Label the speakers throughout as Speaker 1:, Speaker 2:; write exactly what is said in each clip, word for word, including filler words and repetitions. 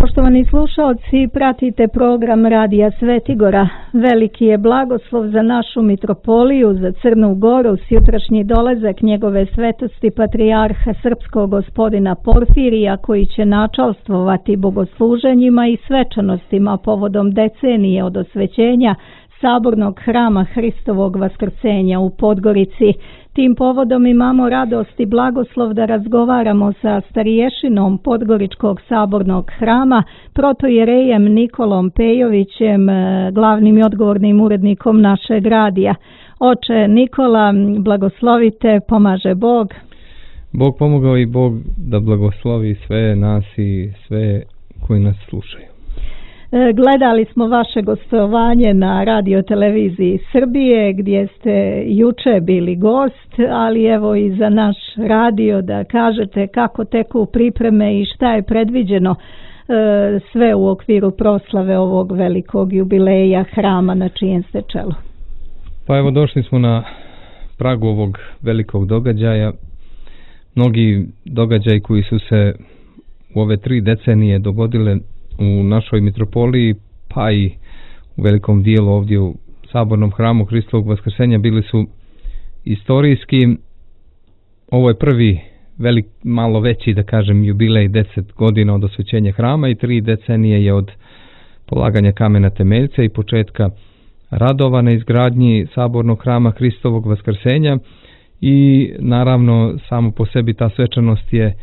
Speaker 1: Poštovani slušalci, pratite program Radija Svetigora. Veliki je blagoslov za našu mitropoliju, za Crnu Goru, sjutrašnji dolazak njegove svetosti patrijarha srpskog gospodina Porfirija, koji će načalstvovati bogosluženjima i svečanostima povodom decenije od osvećenja Sabornog hrama Hristovog Vaskrsenja u Podgorici. Tim povodom imamo radost i blagoslov da razgovaramo sa stariješinom Podgoričkog sabornog hrama, protojerejem Nikolom Pejovićem, glavnim i odgovornim urednikom našeg radija. Oče Nikola, blagoslovite, pomaže Bog.
Speaker 2: Bog pomogao i Bog da blagoslovi sve nas i sve koji nas slušaju.
Speaker 1: Gledali smo vaše gostovanje na Radio Televiziji Srbije gdje ste juče bili gost, ali evo i za naš radio da kažete kako teku pripreme i šta je predviđeno sve u okviru proslave ovog velikog jubileja hrama na čijem ste čelu.
Speaker 2: Pa evo, došli smo na pragu ovog velikog događaja. Mnogi događaji koji su se u ove tri decenije dogodile u našoj mitropoliji, pa i u velikom dijelu ovdje u Sabornom hramu Hristovog Vaskrsenja bili su istorijski. Ovo je prvi velik, malo veći, da kažem, jubilej, deset godina od osvećenja hrama i tri decenije je od polaganja kamena temeljca i početka radova na izgradnji Sabornog hrama Hristovog Vaskrsenja. I naravno samo po sebi ta svečanost je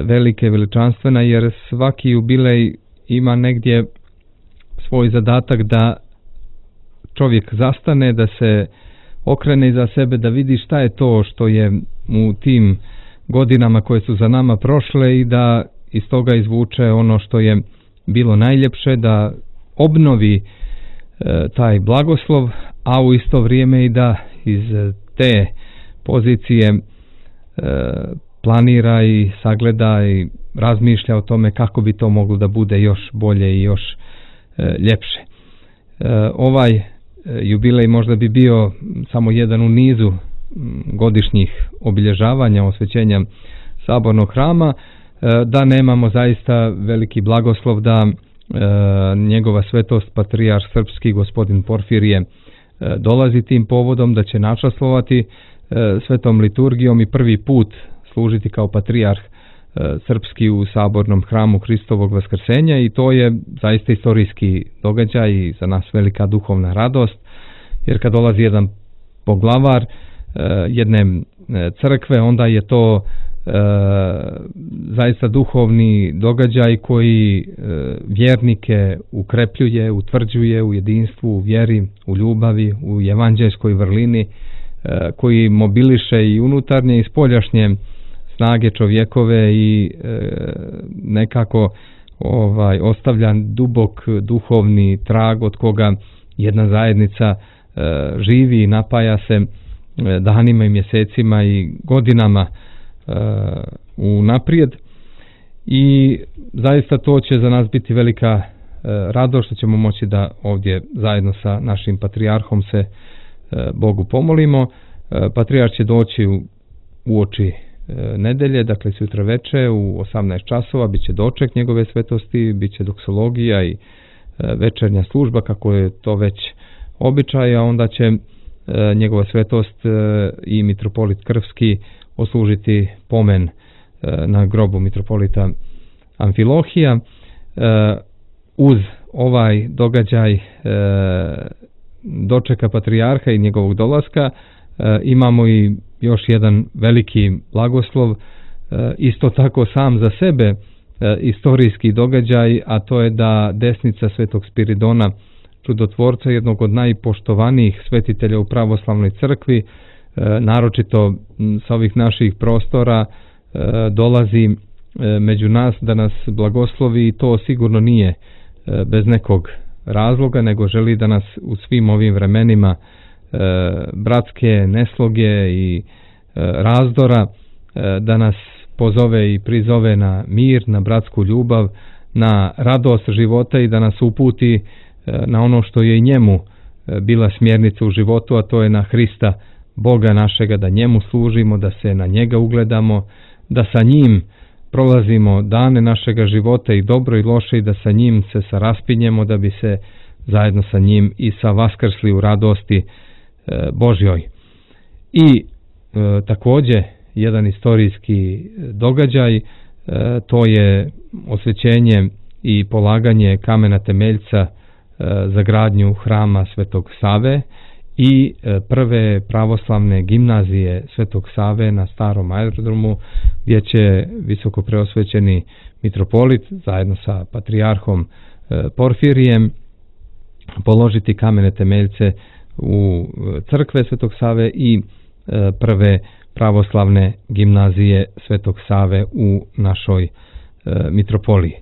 Speaker 2: velika i veličanstvena, jer svaki jubilej ima negdje svoj zadatak da čovjek zastane, da se okrene iza sebe, da vidi šta je to što je u tim godinama koje su za nama prošle i da iz toga izvuče ono što je bilo najljepše, da obnovi e, taj blagoslov, a u isto vrijeme i da iz te pozicije e, planira i sagleda i razmišlja o tome kako bi to moglo da bude još bolje i još e, ljepše. E, ovaj e, jubilej možda bi bio samo jedan u nizu m, godišnjih obilježavanja osvećenja Sabornog hrama, e, da nemamo zaista veliki blagoslov da e, njegova svetost patrijarh srpski gospodin Porfirije e, dolazi tim povodom, da će načastvovati e, svetom liturgijom i prvi put služiti kao patrijarh e, srpski u Sabornom hramu Hristovog Vaskrsenja, i to je zaista istorijski događaj i za nas velika duhovna radost, jer kad dolazi jedan poglavar e, jedne e, crkve, onda je to e, zaista duhovni događaj koji e, vjernike ukrepljuje, utvrđuje u jedinstvu, u vjeri, u ljubavi, u evanđeljskoj vrlini, e, koji mobiliše i unutarnje i spoljašnje snage čovjekove i e, nekako ovaj ostavlja dubok duhovni trag od koga jedna zajednica e, živi i napaja se e, danima i mjesecima i godinama e, unaprijed. I zaista to će za nas biti velika e, radost što ćemo moći da ovdje zajedno sa našim patrijarhom se e, Bogu pomolimo. E, patrijarh će doći u, u oči nedelje, dakle sutra veče u osamnaest časova biće doček njegove svetosti, biće doksologija i večernja služba kako je to već običaj, a onda će njegova svetost i mitropolit Krvski oslužiti pomen na grobu mitropolita Amfilohija. Uz ovaj događaj dočeka patrijarha i njegovog dolaska imamo i još jedan veliki blagoslov, isto tako sam za sebe istorijski događaj, a to je da desnica svetog Spiridona, čudotvorca, jednog od najpoštovanijih svetitelja u pravoslavnoj crkvi, naročito sa ovih naših prostora, dolazi među nas da nas blagoslovi, i to sigurno nije bez nekog razloga, nego želi da nas u svim ovim vremenima bratske nesloge i razdora, da nas pozove i prizove na mir, na bratsku ljubav, na radost života i da nas uputi na ono što je i njemu bila smjernica u životu, a to je na Hrista, Boga našega, da njemu služimo, da se na njega ugledamo, da sa njim prolazimo dane našega života i dobro i loše i da sa njim se saraspinjemo da bi se zajedno sa njim i sa vaskrsli u radosti e, Božjoj. I e, također jedan istorijski događaj, e, to je osvećenje i polaganje kamena temeljca e, za gradnju hrama Svetog Save i e, prve pravoslavne gimnazije Svetog Save na starom aerodromu, gdje će visoko preosvećeni mitropolit zajedno sa patrijarhom e, Porfirijem položiti kamene temeljce u crkve Svetog Save i e, prve pravoslavne gimnazije Svetog Save u našoj e, mitropoliji.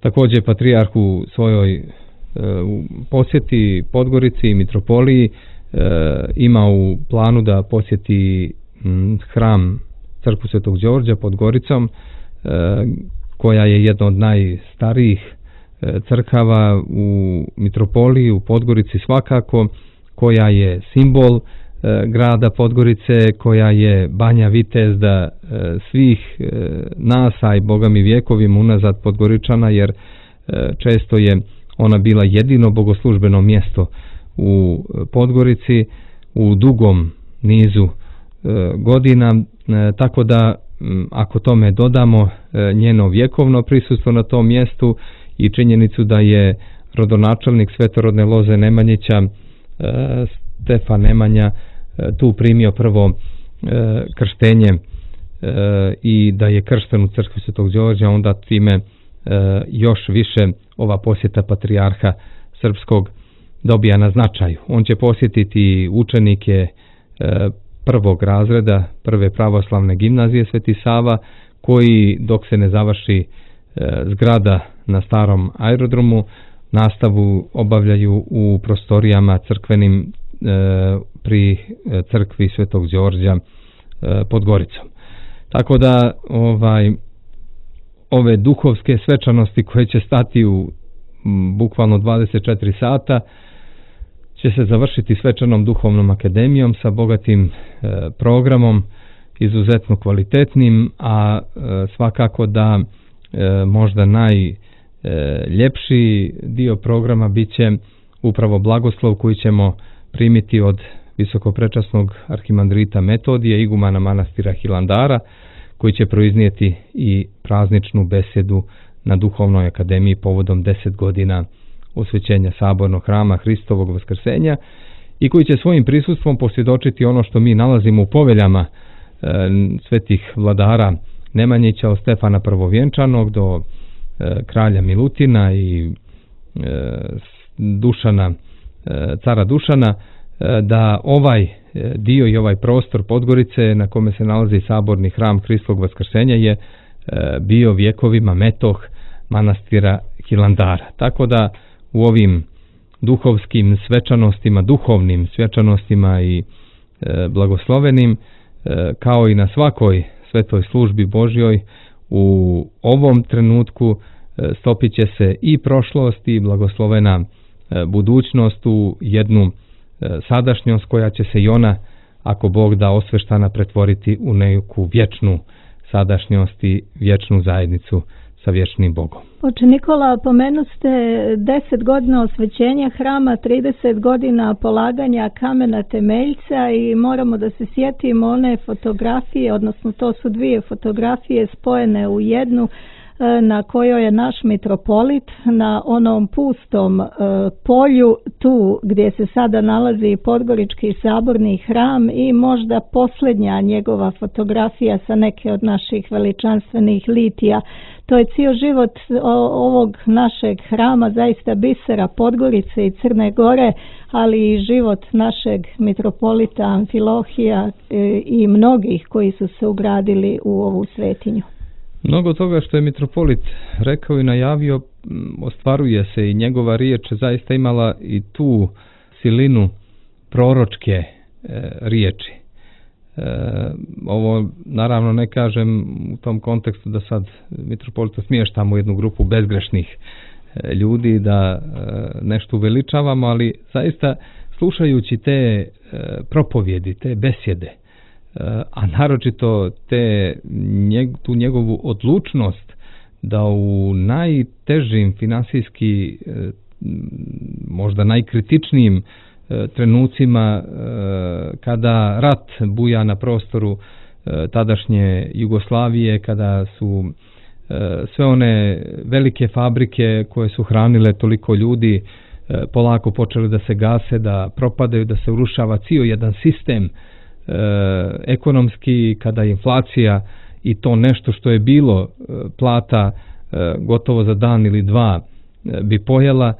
Speaker 2: Također patrijarh u svojoj e, u posjeti Podgorici i mitropoliji e, ima u planu da posjeti m, hram crkvu Svetog Đorđa pod Goricom, e, koja je jedna od najstarijih e, crkava u mitropoliji, u Podgorici svakako, koja je simbol e, grada Podgorice, koja je banja vitezda e, svih e, nas, a i Boga mi vjekovima unazad Podgoričana, jer e, često je ona bila jedino bogoslužbeno mjesto u Podgorici u dugom nizu e, godina, e, tako da m, ako tome dodamo e, njeno vjekovno prisustvo na tom mjestu i činjenicu da je rodonačelnik svetorodne loze Nemanjića e, Stefan Nemanja e, tu primio prvo e, krštenje e, i da je kršten u crkvi Svetog Đorđa, onda time e, još više ova posjeta patrijarha srpskog dobija na značaju. On će posjetiti učenike e, prvog razreda prve pravoslavne gimnazije Sveti Sava, koji dok se ne završi e, zgrada na starom aerodromu, nastavu obavljaju u prostorijama crkvenim e, pri crkvi Svetog Đorđa e, pod Goricom. Tako da ovaj ove duhovske svečanosti koje će stati u m, bukvalno dvadeset četiri sata će se završiti svečanom duhovnom akademijom sa bogatim e, programom, izuzetno kvalitetnim, a e, svakako da e, možda najljepši dio programa bit će upravo blagoslov koji ćemo primiti od visokoprečasnog arhimandrita Metodija, igumana manastira Hilandara, koji će proiznijeti i prazničnu besedu na Duhovnoj akademiji povodom deset godina osvećenja sabornog hrama Hristovog vaskrsenja i koji će svojim prisustvom posvjedočiti ono što mi nalazimo u poveljama e, svetih vladara Nemanjića, od Stefana Prvovjenčanog do e, kralja Milutina i e, Dušana, e, cara Dušana, e, da ovaj dio i ovaj prostor Podgorice na kome se nalazi saborni hram Hristovog vaskrsenja je e, bio vjekovima metoh manastira Hilandara. Tako da u ovim duhovskim svečanostima, duhovnim svečanostima i e, blagoslovenim, e, kao i na svakoj svetoj službi Božjoj, u ovom trenutku e, stopit će se i prošlost i blagoslovena e, budućnost u jednu e, sadašnjost koja će se i ona, ako Bog da, osveštana pretvoriti u neku vječnu sadašnjost i vječnu zajednicu sa vječnim Bogom.
Speaker 1: Oče Nikola, pomenu ste deset godina osvećenja hrama, trideset godina polaganja kamena temeljca i moramo da se sjetimo one fotografije, odnosno to su dvije fotografije spojene u jednu, na kojoj je naš mitropolit na onom pustom e, polju, tu gdje se sada nalazi Podgorički saborni hram, i možda posljednja njegova fotografija sa neke od naših veličanstvenih litija. To je cijel život ovog našeg hrama, zaista bisera Podgorice i Crne Gore, ali i život našeg mitropolita Amfilohija e, i mnogih koji su se ugradili u ovu svetinju.
Speaker 2: Mnogo toga što je mitropolit rekao i najavio ostvaruje se, i njegova riječ zaista imala i tu silinu proročke e, riječi. E, ovo naravno ne kažem u tom kontekstu da sad mitropolita smještamo u jednu grupu bezgrešnih e, ljudi, da e, nešto uveličavamo, ali zaista slušajući te e, propovjedi, te besjede a naročito te, njeg, tu njegovu odlučnost da u najtežim finansijski, možda najkritičnijim trenucima kada rat buja na prostoru tadašnje Jugoslavije, kada su sve one velike fabrike koje su hranile toliko ljudi polako počeli da se gase, da propadaju, da se urušava cijel jedan sistem ekonomski, kada je inflacija i to nešto što je bilo plata gotovo za dan ili dva bi pojela,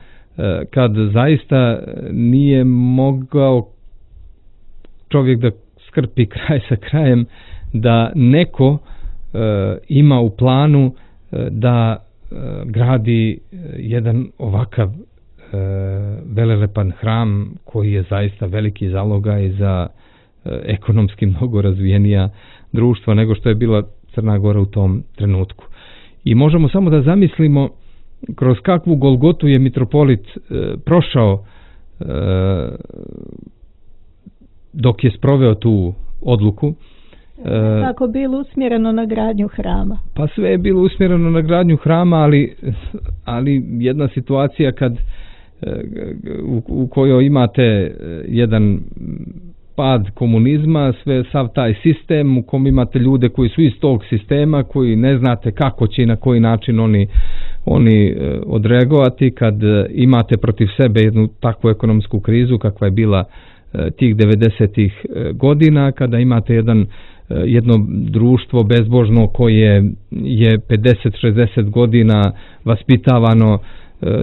Speaker 2: kad zaista nije mogao čovjek da skrpi kraj sa krajem, da neko ima u planu da gradi jedan ovakav velelepan hram koji je zaista veliki zalogaj za ekonomski mnogo razvijenija društva nego što je bila Crna Gora u tom trenutku. I možemo samo da zamislimo kroz kakvu golgotu je mitropolit e, prošao e, dok je sproveo tu odluku.
Speaker 1: E, Kako bilo usmjereno na gradnju hrama?
Speaker 2: Pa sve je bilo usmjereno na gradnju hrama, ali, ali jedna situacija kad u, u kojoj imate jedan pad komunizma, sve sav taj sistem u kom imate ljude koji su iz tog sistema, koji ne znate kako će i na koji način oni, oni odreagovati, kad imate protiv sebe jednu takvu ekonomsku krizu kakva je bila tih devedesetih godina, kada imate jedan jedno društvo bezbožno koje je pedeset šezdeset godina vaspitavano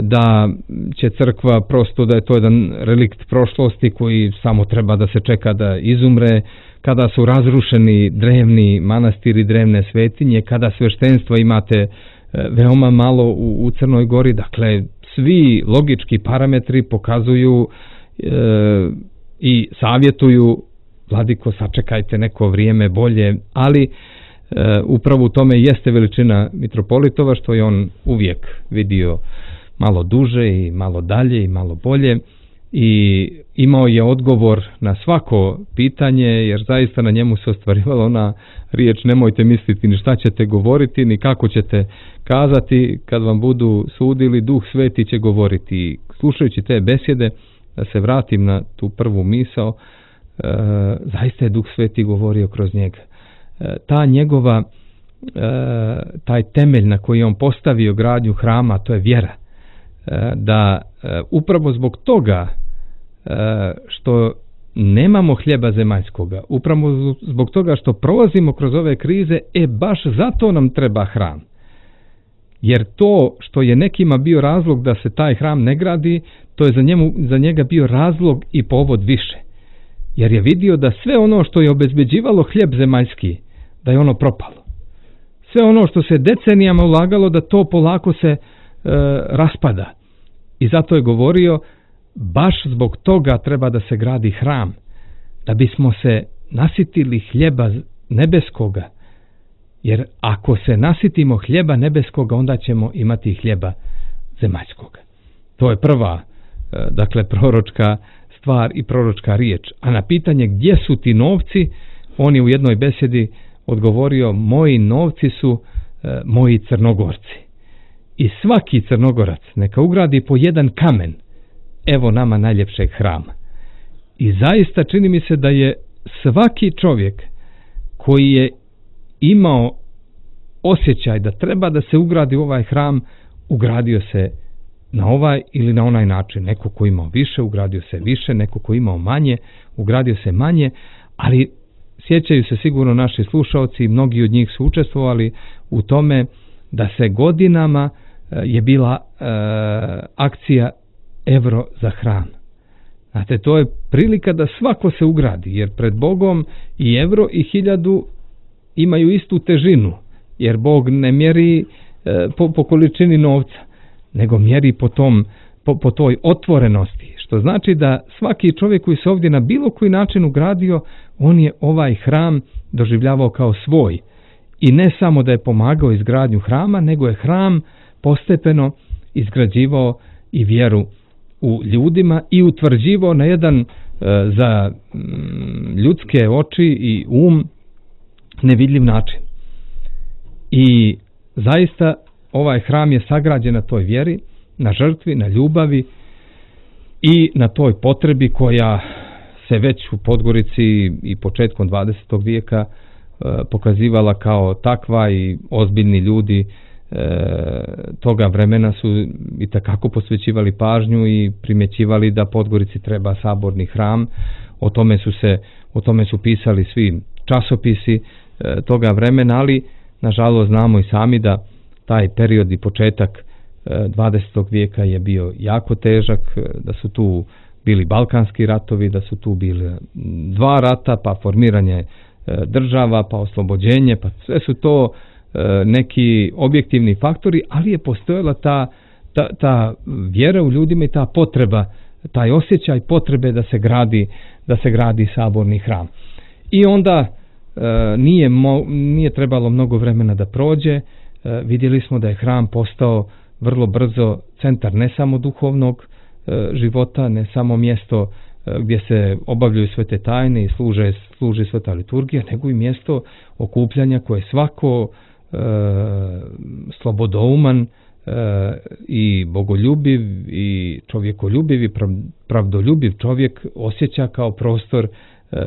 Speaker 2: da će crkva prosto, da je to jedan relikt prošlosti koji samo treba da se čeka da izumre, kada su razrušeni drevni manastiri, drevne svetinje, kada sveštenstva imate veoma malo u, u Crnoj Gori. Dakle, svi logički parametri pokazuju e, i savjetuju: vladiko, sačekajte neko vrijeme bolje, ali e, upravo u tome jeste veličina mitropolitova, što je on uvijek vidio malo duže i malo dalje i malo bolje, i imao je odgovor na svako pitanje, jer zaista na njemu se ostvarivala ona riječ: nemojte misliti ni šta ćete govoriti, ni kako ćete kazati, kad vam budu sudili, Duh Sveti će govoriti. Slušajući te besjede, da se vratim na tu prvu misao, e, zaista je Duh Sveti govorio kroz njega. E, ta njegova, e, taj temelj na koji on postavio gradnju hrama, to je vjera. Da upravo zbog toga što nemamo hljeba zemaljskoga, upravo zbog toga što prolazimo kroz ove krize, e baš zato nam treba hram. Jer to što je nekima bio razlog da se taj hram ne gradi, to je za, njemu, za njega bio razlog i povod više. Jer je vidio da sve ono što je obezbeđivalo hljeb zemaljski, da je ono propalo. Sve ono što se decenijama ulagalo, da to polako se e, raspada. I zato je govorio: baš zbog toga treba da se gradi hram, da bismo se nasitili hljeba nebeskoga. Jer ako se nasitimo hljeba nebeskoga, onda ćemo imati hljeba zemaljskoga. To je prva, dakle, proročka stvar i proročka riječ. A na pitanje gdje su ti novci, on je u jednoj besjedi odgovorio: moji novci su e, moji Crnogorci. I svaki Crnogorac neka ugradi po jedan kamen, evo nama najljepšeg hrama. I zaista čini mi se da je svaki čovjek koji je imao osjećaj da treba da se ugradi u ovaj hram, ugradio se na ovaj ili na onaj način. Neko ko imao više, ugradio se više, neko ko imao manje, ugradio se manje, ali sjećaju se sigurno naši slušaoci, mnogi od njih su učestvovali u tome da se godinama je bila e, akcija Evro za hram. Znate, to je prilika da svako se ugradi, jer pred Bogom i evro i hiljadu imaju istu težinu, jer Bog ne mjeri e, po, po količini novca, nego mjeri po, tom, po, po toj otvorenosti, što znači da svaki čovjek koji se ovdje na bilo koji način ugradio, on je ovaj hram doživljavao kao svoj. I ne samo da je pomagao izgradnju hrama, nego je hram postepeno izgrađivao i vjeru u ljudima i utvrđivao na jedan za ljudske oči i um nevidljiv način. I zaista ovaj hram je sagrađen na toj vjeri, na žrtvi, na ljubavi i na toj potrebi koja se već u Podgorici i početkom dvadesetog vijeka pokazivala kao takva i ozbiljni ljudi toga vremena su i takako posvećivali pažnju i primjećivali da Podgorici treba saborni hram. O tome su se o tome su pisali svi časopisi toga vremena, ali nažalost znamo i sami da taj period i početak dvadesetog vijeka je bio jako težak, da su tu bili balkanski ratovi, da su tu bili dva rata, pa formiranje država, pa oslobođenje, pa sve su to neki objektivni faktori, ali je postojala ta, ta, ta vjera u ljudima i ta potreba, taj osjećaj potrebe da se gradi, da se gradi saborni hram. I onda e, nije, mo, nije trebalo mnogo vremena da prođe, e, vidjeli smo da je hram postao vrlo brzo centar ne samo duhovnog e, života, ne samo mjesto e, gdje se obavljaju sve te tajne i služe, služi sveta liturgija, nego i mjesto okupljanja koje svako e, slobodouman e, i bogoljubiv i čovjekoljubiv i pravdoljubiv čovjek osjeća kao prostor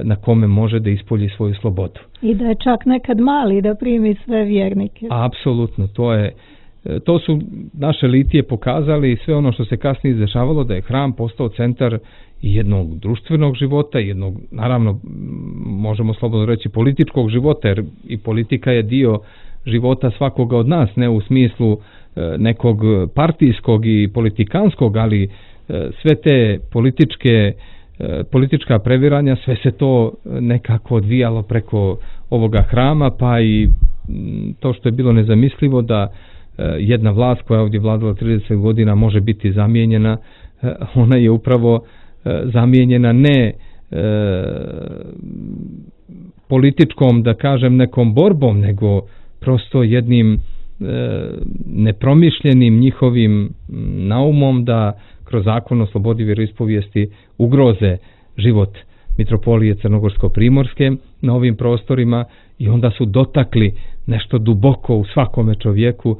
Speaker 2: na kome može da ispolji svoju slobodu.
Speaker 1: I da je čak nekad mali da primi sve vjernike.
Speaker 2: Apsolutno, to je to su naše litije pokazali i sve ono što se kasnije izdešavalo, da je hram postao centar jednog društvenog života, jednog, naravno, možemo slobodno reći, političkog života, jer i politika je dio života svakoga od nas, ne u smislu nekog partijskog i politikanskog, ali sve te političke politička previranja, sve se to nekako odvijalo preko ovoga hrama, pa i to što je bilo nezamislivo da jedna vlast koja je ovdje vladala trideset godina može biti zamijenjena, ona je upravo zamijenjena ne političkom, da kažem, nekom borbom, nego prosto jednim nepromišljenim njihovim naumom da kroz zakon o slobodi vjeroispovijesti ugroze život mitropolije Crnogorsko-primorske na ovim prostorima i onda su dotakli nešto duboko u svakome čovjeku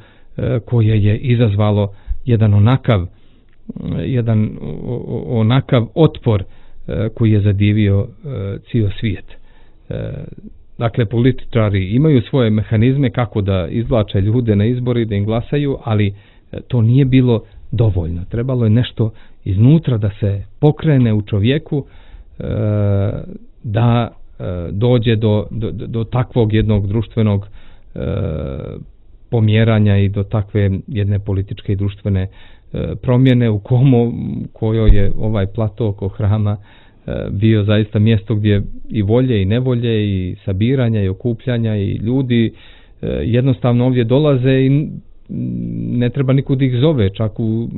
Speaker 2: koje je izazvalo jedan onakav jedan onakav otpor koji je zadivio cijel svijet. Dakle, političari imaju svoje mehanizme kako da izvlače ljude na izbori, da im glasaju, ali to nije bilo dovoljno. Trebalo je nešto iznutra da se pokrene u čovjeku da dođe do, do, do takvog jednog društvenog pomjeranja i do takve jedne političke i društvene promjene u komu, kojoj je ovaj plato oko hrama bio zaista mjesto gdje i volje i nevolje i sabiranja i okupljanja i ljudi jednostavno ovdje dolaze i ne treba nikud ih zove, čak u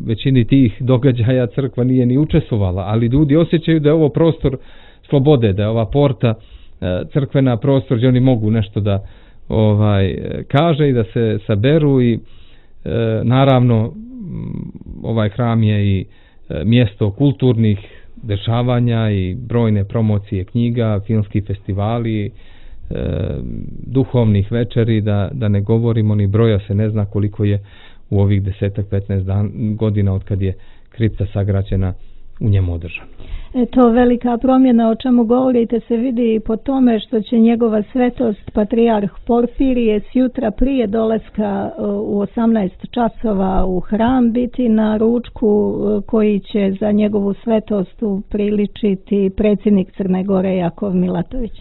Speaker 2: većini tih događaja crkva nije ni učestvovala, ali ljudi osjećaju da je ovo prostor slobode, da je ova porta crkvena prostor gdje oni mogu nešto da ovaj kaže i da se saberu i e, naravno ovaj hram je i e, mjesto kulturnih dešavanja i brojne promocije knjiga, filmski festivali, e, duhovnih večeri, da, da ne govorimo ni broja se ne zna koliko je u ovih desetak petnaest godina od kad je kripta sagrađena u njemu održana.
Speaker 1: To velika promjena o čemu govorite se vidi i po tome što će njegova svetost patrijarh Porfirije sjutra prije dolaska u osamnaest časova u hram biti na ručku koji će za njegovu svetost upriličiti predsjednik Crne Gore Jakov Milatović.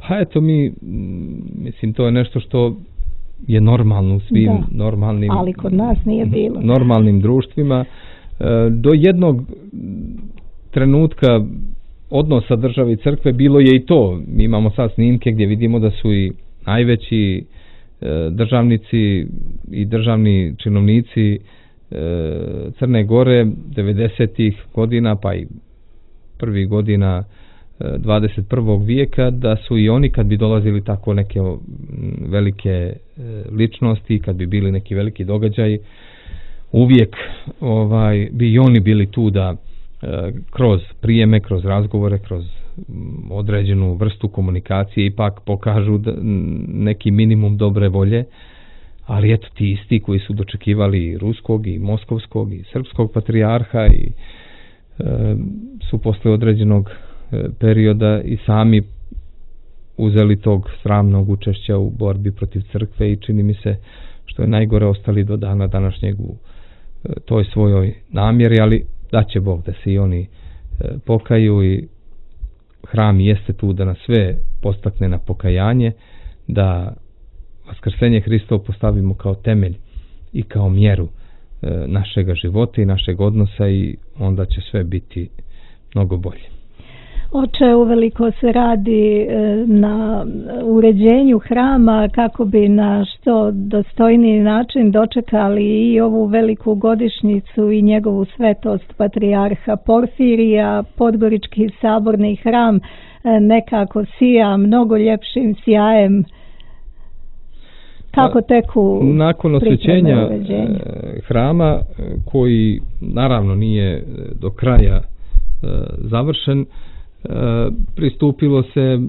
Speaker 2: Pa eto mi, mislim, to je nešto što je normalno u svim da, normalnim,
Speaker 1: ali kod nas nije bilo.
Speaker 2: Normalnim društvima. Do jednog trenutka odnosa države i crkve bilo je i to. Mi imamo sad snimke gdje vidimo da su i najveći državnici i državni činovnici Crne Gore devedesetih godina pa i prvih godina dvadeset prvog vijeka, da su i oni kad bi dolazili tako neke velike ličnosti, kad bi bili neki veliki događaji, uvijek ovaj, bi i oni bili tu da kroz prijeme, kroz razgovore, kroz određenu vrstu komunikacije ipak pokažu da, neki minimum dobre volje, ali eto ti isti koji su dočekivali i ruskog i moskovskog i srpskog patrijarha i e, su posle određenog e, perioda i sami uzeli tog sramnog učešća u borbi protiv crkve i čini mi se što je najgore ostali do dana današnjeg u e, toj svojoj namjeri, ali da će Bog da se i oni e, pokaju i hram jeste tu da nas sve postakne na pokajanje, da vaskrsenje Hristovo postavimo kao temelj i kao mjeru e, našega života i našeg odnosa i onda će sve biti mnogo bolje.
Speaker 1: Oče, uveliko se radi na uređenju hrama kako bi na što dostojniji način dočekali i ovu veliku godišnjicu i njegovu svetost patrijarha Porfirija. Podgorički saborni hram nekako sija mnogo ljepšim sjajem. Kako teku
Speaker 2: nakon osvećenja hrama, koji naravno nije do kraja završen, pristupilo se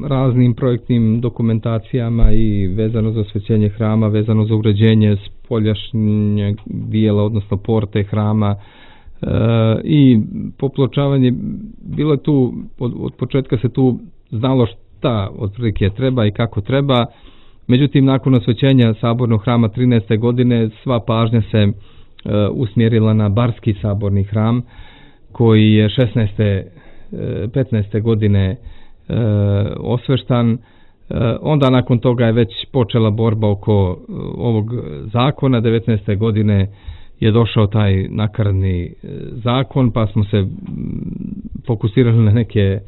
Speaker 2: raznim projektnim dokumentacijama i vezano za osvećenje hrama, vezano za uređenje spoljašnjeg dijela, odnosno porte hrama i popločavanje. Bilo je tu, od, od početka se tu znalo šta otprilike treba i kako treba. Međutim, nakon osvećenja sabornog hrama trinaeste godine sva pažnja se e, usmjerila na Barski saborni hram koji je šesnaeste petnaeste godine e, osveštan. E, onda nakon toga je već počela borba oko e, ovog zakona. devetnaeste godine je došao taj nakaradni e, zakon, pa smo se m, fokusirali na neke e,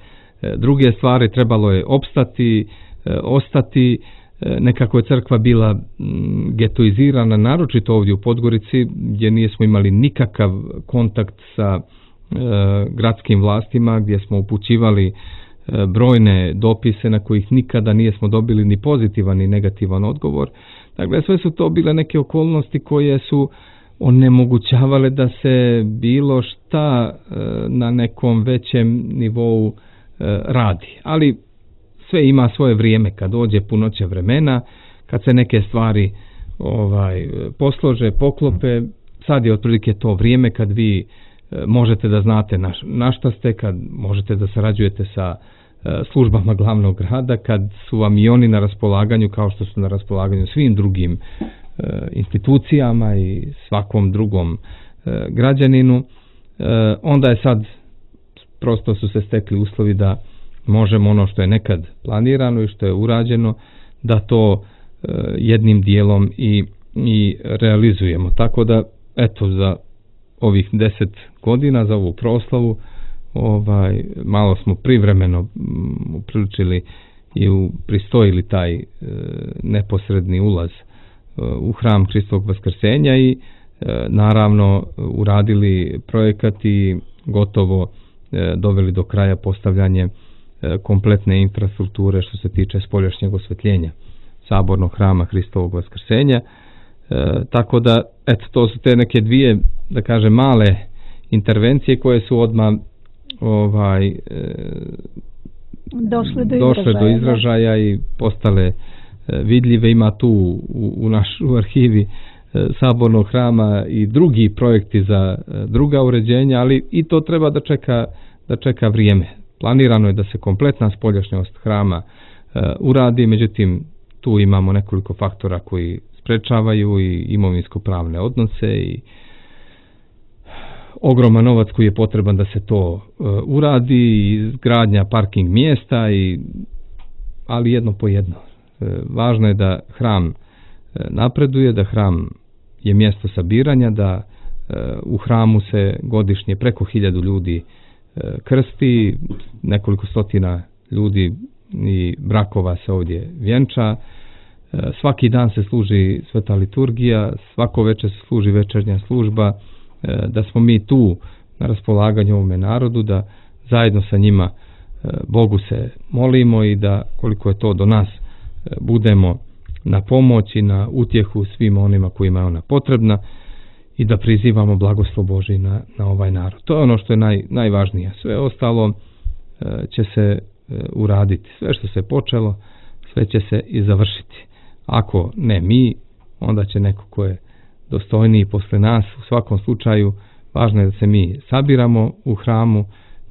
Speaker 2: druge stvari. Trebalo je opstati, e, ostati. E, nekako je crkva bila m, getoizirana, naročito ovdje u Podgorici, gdje nismo imali nikakav kontakt sa gradskim vlastima, gdje smo upućivali brojne dopise na kojih nikada nismo dobili ni pozitivan ni negativan odgovor. Dakle, sve su to bile neke okolnosti koje su onemogućavale da se bilo šta na nekom većem nivou radi. Ali sve ima svoje vrijeme, kad dođe punoća vremena, kad se neke stvari ovaj poslože, poklope. Sad je otprilike to vrijeme kad vi možete da znate na, na šta ste, kad možete da sarađujete sa e, službama glavnog grada, kad su vam i oni na raspolaganju kao što su na raspolaganju svim drugim e, institucijama i svakom drugom e, građaninu, e, onda je sad prosto su se stekli uslovi da možemo ono što je nekad planirano i što je urađeno, da to e, jednim dijelom i, i realizujemo. Tako da, eto, za ovih deset godina, za ovu proslavu, ovaj, malo smo privremeno m, upriličili i u, pristojili taj e, neposredni ulaz e, u hram Hristovog vaskrsenja i e, naravno uradili projekat i gotovo e, doveli do kraja postavljanje e, kompletne infrastrukture što se tiče spoljašnjeg osvetljenja sabornog hrama Hristovog vaskrsenja. E, tako da, eto, to su te neke dvije, da kažem, male intervencije koje su odmah ovaj, e,
Speaker 1: došle do
Speaker 2: došle
Speaker 1: izražaja,
Speaker 2: do izražaja i postale e, vidljive. Ima tu u, u našoj arhivi e, sabornog hrama i drugi projekti za e, druga uređenja, ali i to treba da čeka, da čeka vrijeme. Planirano je da se kompletna spoljašnjost hrama e, uradi, međutim tu imamo nekoliko faktora koji sprečavaju i imovinsko-pravne odnose i ogroman novac koji je potreban da se to uh, uradi, i izgradnja parking mjesta, i, ali jedno po jedno. E, važno je da hram e, napreduje, da hram je mjesto sabiranja, da e, u hramu se godišnje preko hiljadu ljudi e, krsti, nekoliko stotina ljudi i brakova se ovdje vjenča. Svaki dan se služi sveta liturgija, svako večer se služi večernja služba, da smo mi tu na raspolaganju ovome narodu, da zajedno sa njima Bogu se molimo i da koliko je to do nas budemo na pomoć i na utjehu svima onima kojima je ona potrebna. i da prizivamo blagoslov Božji na, na ovaj narod. To je ono što je naj, najvažnije. Sve ostalo e, će se e, uraditi. Sve što se počelo, sve će se i završiti. Ako ne mi, onda će neko ko je dostojniji posle nas. U svakom slučaju, važno je da se mi sabiramo u hramu,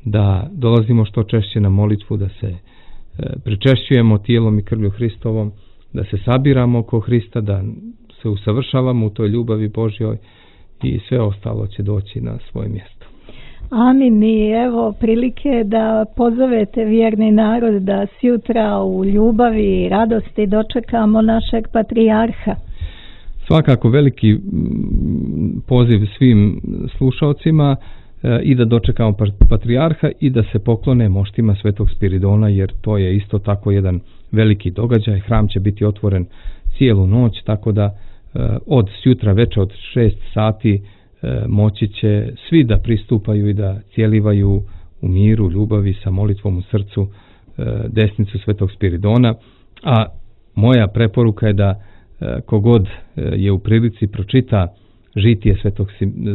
Speaker 2: da dolazimo što češće na molitvu, da se e, pričešćujemo tijelom i krvlju Hristovom, da se sabiramo oko Hrista, da se usavršavamo u toj ljubavi Božjoj i sve ostalo će doći na svoje mjesto.
Speaker 1: Amin. I evo prilike da pozovete vjerni narod da sjutra u ljubavi i radosti dočekamo našeg patrijarha.
Speaker 2: Svakako veliki poziv svim slušalcima e, i da dočekamo patrijarha i da se poklone moštima Svetog Spiridona, jer to je isto tako jedan veliki događaj. Hram će biti otvoren cijelu noć, tako da e, od sjutra veče od šest sati e, moći će svi da pristupaju i da cijelivaju u miru, ljubavi, sa molitvom u srcu e, desnicu Svetog Spiridona. A moja preporuka je da e, kogod je u prilici pročita žitije Svetog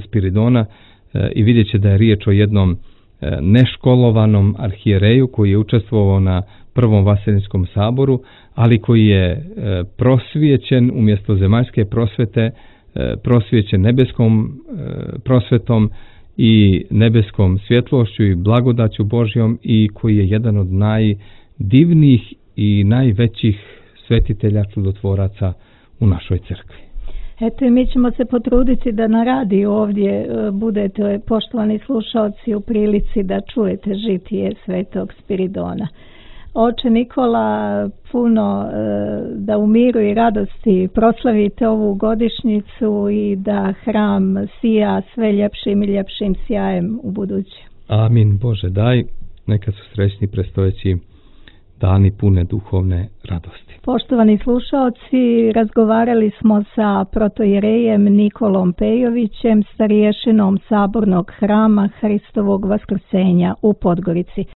Speaker 2: Spiridona e, i vidjet će da je riječ o jednom e, neškolovanom arhijereju koji je učestvovao na Prvom Vasilinskom saboru, ali koji je e, prosvijećen umjesto zemaljske prosvete, e, prosvijećen nebeskom e, prosvetom i nebeskom svjetlošću i blagodaću Božjom i koji je jedan od najdivnijih i najvećih svetitelja čudotvoraca u našoj crkvi.
Speaker 1: Eto i mi ćemo se potruditi da na radiju ovdje budete, poštovani slušalci, u prilici da čujete žitije Svetog Spiridona. Oče Nikola, puno da u miru i radosti proslavite ovu godišnjicu i da hram sija sve ljepšim i ljepšim sjajem u buduće.
Speaker 2: Amin. Bože daj, neka su srećni predstojeći dani pune duhovne radosti.
Speaker 1: Poštovani slušalci, razgovarali smo sa protoijerejem Nikolom Pejovićem, starijješinom Sabornog hrama Hristovog Vaskrsenja u Podgorici.